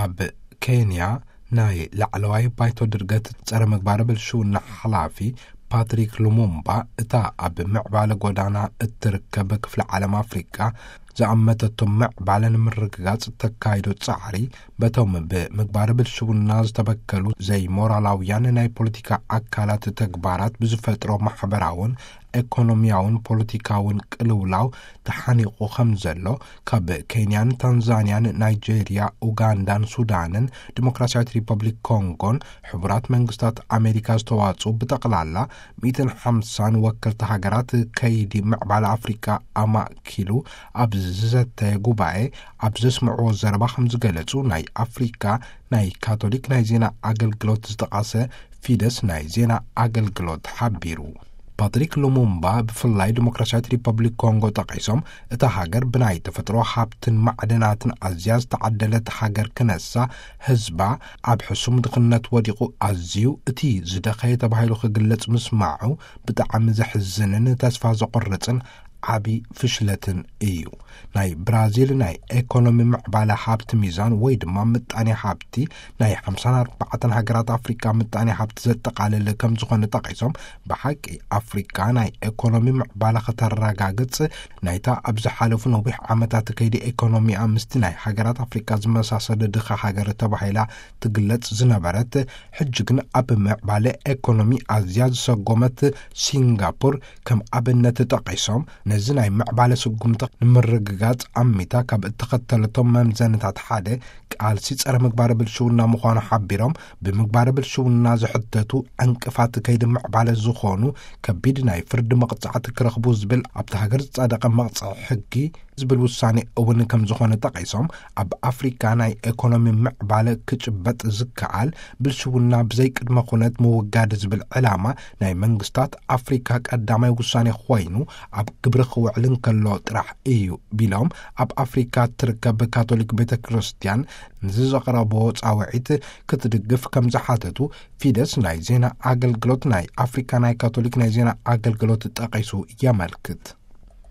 ኣብ ኬንያ ናይ ላዕለዋይ ባይቶ ድርገት ጸረ ምግባረ ብልሽውና ሓላፊ ፓትሪክ ሉሙምባ፣ እታ ኣብ ምዕባለ ጎዳና እትርከብ ክፍለ ዓለም ኣፍሪቃ ዝኣመተቶ ምዕባለ ንምርግጋጽ እተካይዶ ጻዕሪ፣ በቶም ብምግባረ ብልሽውና ዝተበከሉ ዘይሞራላውያን ናይ ፖለቲካ ኣካላት ተግባራት ብዝፈጥሮ ማሕበራውን ኤኮኖሚያውን ፖለቲካውን ቅልውላው ተሓኒቑ ከም ዘሎ፣ ካብ ኬንያን ታንዛንያን፣ ናይጄርያ፣ ኡጋንዳን ሱዳንን፣ ዲሞክራሲያዊት ሪፐብሊክ ኮንጎን ሕቡራት መንግስታት ኣሜሪካ ዝተዋጽኡ ብጠቕላላ ሚእትን ሓምሳን ወከልቲ ሃገራት ከይዲ ምዕባለ ኣፍሪቃ ኣማእኪሉ ኣብ ዝዘተየ ጉባኤ ኣብ ዘስምዕዎ ዘረባ ከም ዝገለጹ፣ ናይ ኣፍሪቃ ናይ ካቶሊክ ናይ ዜና ኣገልግሎት ዝጠቐሰ ፊደስ ናይ ዜና ኣገልግሎት ሓቢሩ። ፓትሪክ ሉሙምባ ብፍላይ ዲሞክራሲያዊት ሪፐብሊክ ኮንጎ ጠቒሶም፣ እታ ሃገር ብናይ ተፈጥሮ ሃብትን ማዕድናትን ኣዝያ ዝተዓደለት ሃገር ክነሳ፣ ህዝባ ኣብ ሕሱም ድኽነት ወዲቑ ኣዝዩ እቲ ዝደኸየ ተባሂሉ ክግለጽ ምስማዑ ብጣዕሚ ዘሕዝንን ተስፋ ዘቑርጽን ዓቢ ፍሽለትን እዩ። ናይ ብራዚል ናይ ኤኮኖሚ ምዕባለ ሃብቲ ሚዛን ወይ ድማ ምጣኔ ሃብቲ ናይ ሓምሳን ኣርባዕተን ሃገራት ኣፍሪቃ ምጣኔ ሃብቲ ዘጠቓልል ከም ዝኾነ ጠቒሶም፣ ብሓቂ ኣፍሪቃ ናይ ኤኮኖሚ ምዕባለ ከተረጋግጽ ናይታ ኣብ ዝሓለፉ ነዊሕ ዓመታት ከይዲ ኤኮኖሚኣ ምስቲ ናይ ሃገራት ኣፍሪቃ ዝመሳሰለ ድኻ ሃገር ተባሂላ ትግለጽ ዝነበረት፣ ሕጂ ግን ኣብ ምዕባለ ኤኮኖሚ ኣዝያ ዝሰጎመት ሲንጋፖር ከም ኣብነት ጠቒሶም፣ ነዚ ናይ ምዕባለ ስጉምቲ ንምርግጋጽ ኣሚታ ካብ እተኸተለቶም መምዘንታት ሓደ ቃልሲ ጸረ ምግባረ ብልሽውና ምዃኑ ሓቢሮም፣ ብምግባረ ብልሽውና ዝሕተቱ ዕንቅፋት ከይዲ ምዕባለ ዝኾኑ ከቢድ ናይ ፍርዲ መቕጻዕቲ ክረኽቡ ዝብል ኣብቲ ሃገር ዝጸደቐ መቕጽዒ ሕጊ ዝብል ውሳኔ እውን ከም ዝኾነ ጠቒሶም፣ ኣብ ኣፍሪካ ናይ ኤኮኖሚ ምዕባለ ክጭበጥ ዝከኣል ብልሽውና ብዘይ ቅድመ ኩነት ምውጋድ ዝብል ዕላማ ናይ መንግስታት ኣፍሪካ ቀዳማይ ውሳኔ ኮይኑ ኣብ ግብሪ ክውዕል እንከሎ ጥራሕ እዩ ቢሎም፣ ኣብ ኣፍሪካ እትርከብ ካቶሊክ ቤተ ክርስቲያን ንዝዘቕረቦ ጻውዒት ክትድግፍ ከም ዝሓተቱ ፊደስ ናይ ዜና ኣገልግሎት ናይ ኣፍሪካ ናይ ካቶሊክ ናይ ዜና ኣገልግሎት ጠቒሱ የመልክት።